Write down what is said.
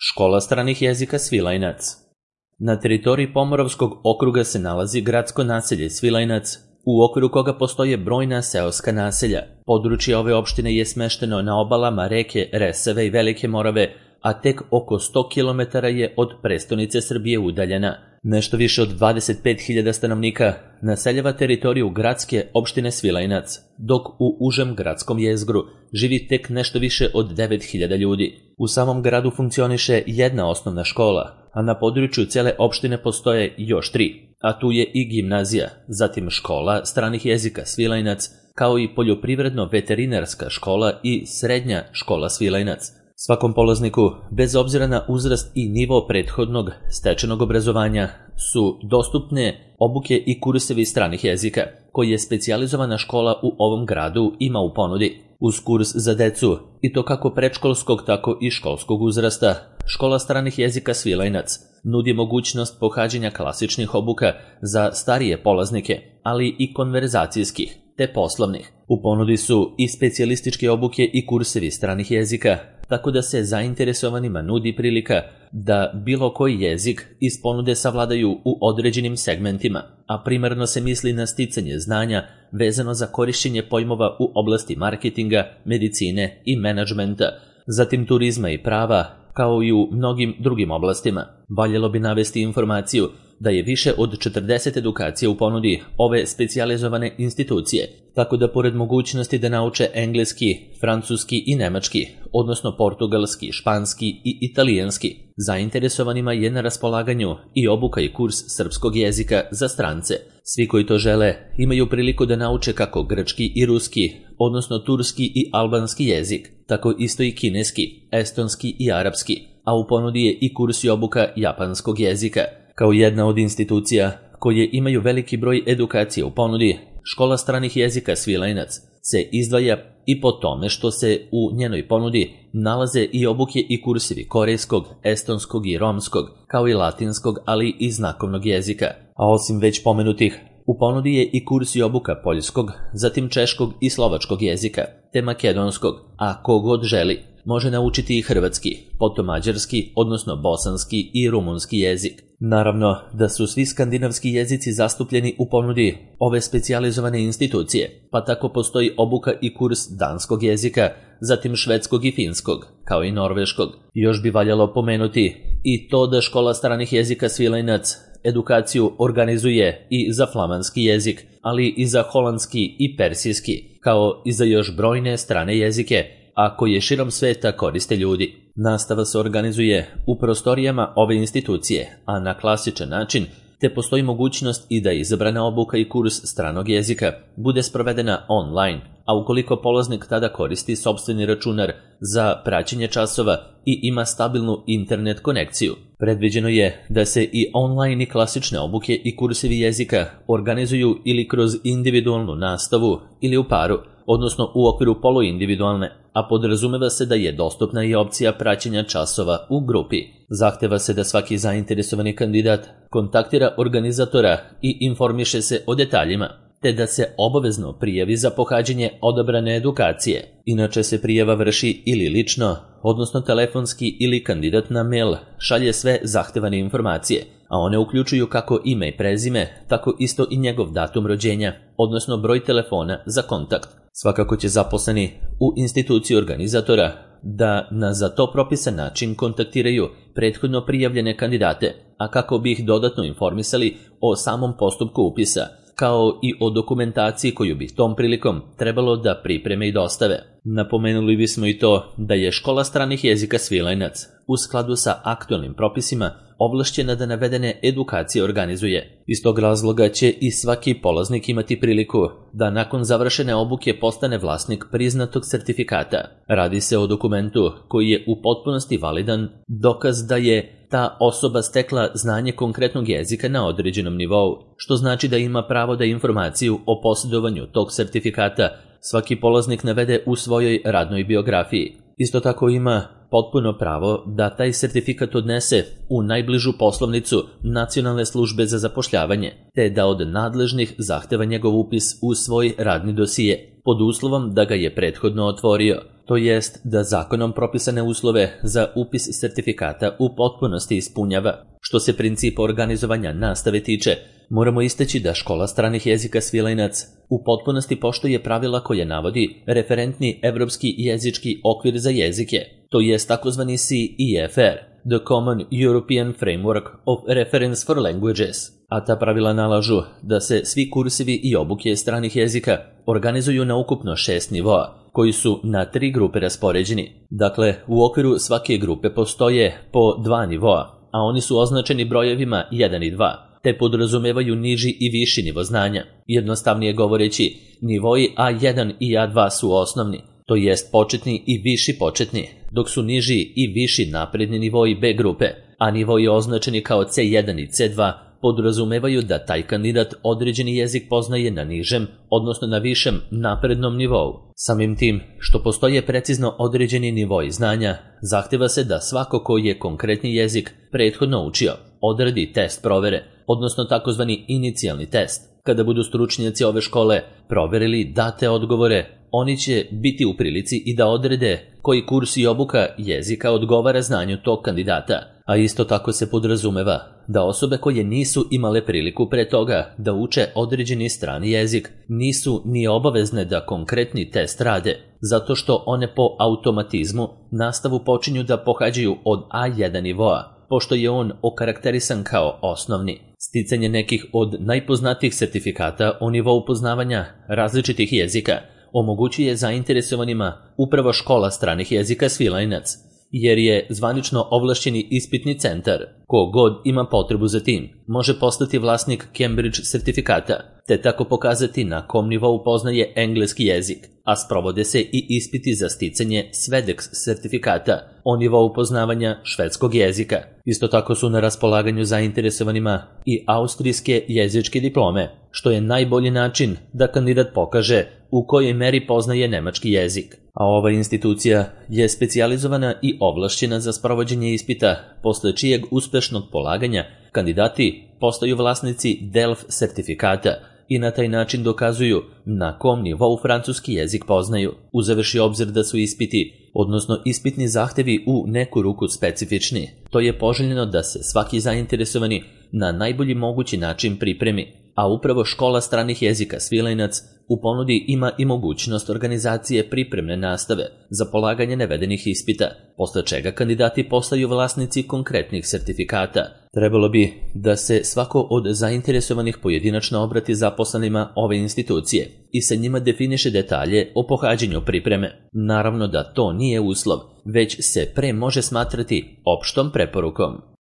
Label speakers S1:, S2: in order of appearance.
S1: Škola stranih jezika Svilajnac. Na teritoriji Pomoravskog okruga se nalazi gradsko naselje Svilajnac, u okviru koga postoje brojna seoska naselja. Područje ove opštine je smešteno na obalama reke Resave i Velike Morave, a tek oko 100 km je od prestonice Srbije udaljena. Nešto više od 25.000 stanovnika naseljava teritoriju gradske opštine Svilajnac, dok u užem gradskom jezgru živi tek nešto više od 9.000 ljudi. U samom gradu funkcioniše jedna osnovna škola, a na području cele opštine postoje još 3, a tu je i gimnazija, zatim škola stranih jezika Svilajnac, kao i poljoprivredno-veterinarska škola i srednja škola Svilajnac. Svakom polazniku, bez obzira na uzrast i nivo prethodnog stečenog obrazovanja, su dostupne obuke i kursevi stranih jezika, koji je specijalizovana škola u ovom gradu ima u ponudi. Uz kurs za decu, i to kako predškolskog tako i školskog uzrasta, škola stranih jezika Svilajnac nudi mogućnost pohađanja klasičnih obuka za starije polaznike, ali i konverzacijskih te poslovnih. U ponudi su i specijalističke obuke i kursevi stranih jezika, tako da se zainteresovanima nudi prilika da bilo koji jezik iz ponude savladaju u određenim segmentima, a primarno se misli na sticanje znanja vezano za korišćenje pojmova u oblasti marketinga, medicine i menadžmenta, zatim turizma i prava, kao i u mnogim drugim oblastima. Valjalo bi navesti informaciju da je više od 40 edukacija u ponudi ove specijalizovane institucije, tako da pored mogućnosti da nauče engleski, francuski i nemački, odnosno portugalski, španski i italijanski, zainteresovanima je na raspolaganju i obuka i kurs srpskog jezika za strance. Svi koji to žele imaju priliku da nauče kako grčki i ruski, odnosno turski i albanski jezik, tako isto i kineski, estonski i arapski, a u ponudi je i kurs i obuka japanskog jezika. Kao jedna od institucija koje imaju veliki broj edukacije u ponudi, škola stranih jezika Svilajnac se izdvaja i po tome što se u njenoj ponudi nalaze i obuke i kursevi korejskog, estonskog i romskog, kao i latinskog, ali i znakovnog jezika. A osim već pomenutih, u ponudi je i kurs i obuka poljskog, zatim češkog i slovačkog jezika, te makedonskog, a kogod želi može naučiti i hrvatski, potom mađarski, odnosno bosanski i rumunski jezik. Naravno da su svi skandinavski jezici zastupljeni u ponudi ove specijalizovane institucije, pa tako postoji obuka i kurs danskog jezika, zatim švedskog i finskog, kao i norveškog. Još bi valjalo pomenuti i to da škola stranih jezika Svilajnac edukaciju organizuje i za flamanski jezik, ali i za holandski i persijski, kao i za još brojne strane jezike, a koje širom sveta koriste ljudi. Nastava se organizuje u prostorijama ove institucije, a na klasičan način, te postoji mogućnost i da izabrana obuka i kurs stranog jezika bude sprovedena online, a ukoliko polaznik tada koristi sopstveni računar za praćenje časova i ima stabilnu internet konekciju. Predviđeno je da se i online i klasične obuke i kursevi jezika organizuju ili kroz individualnu nastavu ili u paru, odnosno u okviru poluindividualne, a podrazumeva se da je dostupna i opcija praćenja časova u grupi. Zahteva se da svaki zainteresovani kandidat kontaktira organizatora i informiše se o detaljima, te da se obavezno prijavi za pohađanje odabrane edukacije. Inače se prijava vrši ili lično, odnosno telefonski, ili kandidat na mail šalje sve zahtevane informacije, a one uključuju kako ime i prezime, tako isto i njegov datum rođenja, odnosno broj telefona za kontakt. Svakako će zaposleni u instituciji organizatora da na za to propisan način kontaktiraju prethodno prijavljene kandidate, a kako bi ih dodatno informisali o samom postupku upisa, kao i o dokumentaciji koju bi tom prilikom trebalo da pripreme i dostave. Napomenuli bismo i to da je škola stranih jezika Svilajnac u skladu sa aktualnim propisima ovlašćena da navedene edukacije organizuje. Iz tog razloga će i svaki polaznik imati priliku da nakon završene obuke postane vlasnik priznatog sertifikata. Radi se o dokumentu koji je u potpunosti validan dokaz da je ta osoba stekla znanje konkretnog jezika na određenom nivou, što znači da ima pravo da informaciju o posjedovanju tog sertifikata svaki polaznik navede u svojoj radnoj biografiji. Isto tako ima potpuno pravo da taj sertifikat odnese u najbližu poslovnicu Nacionalne službe za zapošljavanje, te da od nadležnih zahteva njegov upis u svoj radni dosije, pod uslovom da ga je prethodno otvorio. to jest da zakonom propisane uslove za upis sertifikata u potpunosti ispunjava. Što se principa organizovanja nastave tiče, moramo istaći da škola stranih jezika Svilajnac u potpunosti poštuje pravila koje navodi referentni evropski jezički okvir za jezike, to jest takozvani CEFR, The Common European Framework of Reference for Languages, a ta pravila nalažu da se svi kursevi i obuke stranih jezika organizuju na ukupno 6 nivoa, koji su na 3 grupe raspoređeni. Dakle, u okviru svake grupe postoje po 2 nivoa, a oni su označeni brojevima 1 i 2, te podrazumevaju niži i viši nivo znanja. Jednostavnije govoreći, nivoi A1 i A2 su osnovni, to jest početni i viši početni, dok su niži i viši napredni nivoi B grupe, a nivoi označeni kao C1 i C2 podrazumevaju da taj kandidat određeni jezik poznaje na nižem, odnosno na višem naprednom nivou. Samim tim, što postoje precizno određeni nivoi znanja, zahteva se da svako ko je konkretni jezik prethodno učio, odradi test provere, odnosno takozvani inicijalni test. Kada budu stručnjaci ove škole proverili date odgovore, oni će biti u prilici i da odrede koji kurs i obuka jezika odgovara znanju tog kandidata, a isto tako se podrazumeva da osobe koje nisu imale priliku pre toga da uče određeni strani jezik nisu ni obavezne da konkretni test rade, zato što one po automatizmu nastavu počinju da pohađaju od A1 nivoa, pošto je on okarakterisan kao osnovni. Sticanje nekih od najpoznatijih sertifikata o nivou poznavanja različitih jezika omogućuje zainteresovanima upravo škola stranih jezika Svilajnac, jer je zvanično ovlašćeni ispitni centar. Ko god ima potrebu za tim, može postati vlasnik Cambridge sertifikata, te tako pokazati na kom nivou poznaje engleski jezik, a sprovode se i ispiti za sticanje Swedex sertifikata o nivou poznavanja švedskog jezika. Isto tako su na raspolaganju zainteresovanima i austrijske jezičke diplome, što je najbolji način da kandidat pokaže u kojoj meri poznaje nemački jezik. A ova institucija je specijalizovana i ovlašćena za sprovođenje ispita, posle čijeg uspešnog polaganja kandidati postaju vlasnici DELF sertifikata i na taj način dokazuju na kom nivou francuski jezik poznaju, uzevši obzir da su ispiti, odnosno ispitni zahtevi u neku ruku specifični. To je poželjno da se svaki zainteresovani na najbolji mogući način pripremi, a upravo škola stranih jezika Svilajnac u ponudi ima i mogućnost organizacije pripremne nastave za polaganje navedenih ispita, posle čega kandidati postaju vlasnici konkretnih sertifikata. Trebalo bi da se svako od zainteresovanih pojedinačno obrati zaposlenima ove institucije i sa njima definiše detalje o pohađanju pripreme. Naravno da to nije uslov, već se pre može smatrati opštom preporukom.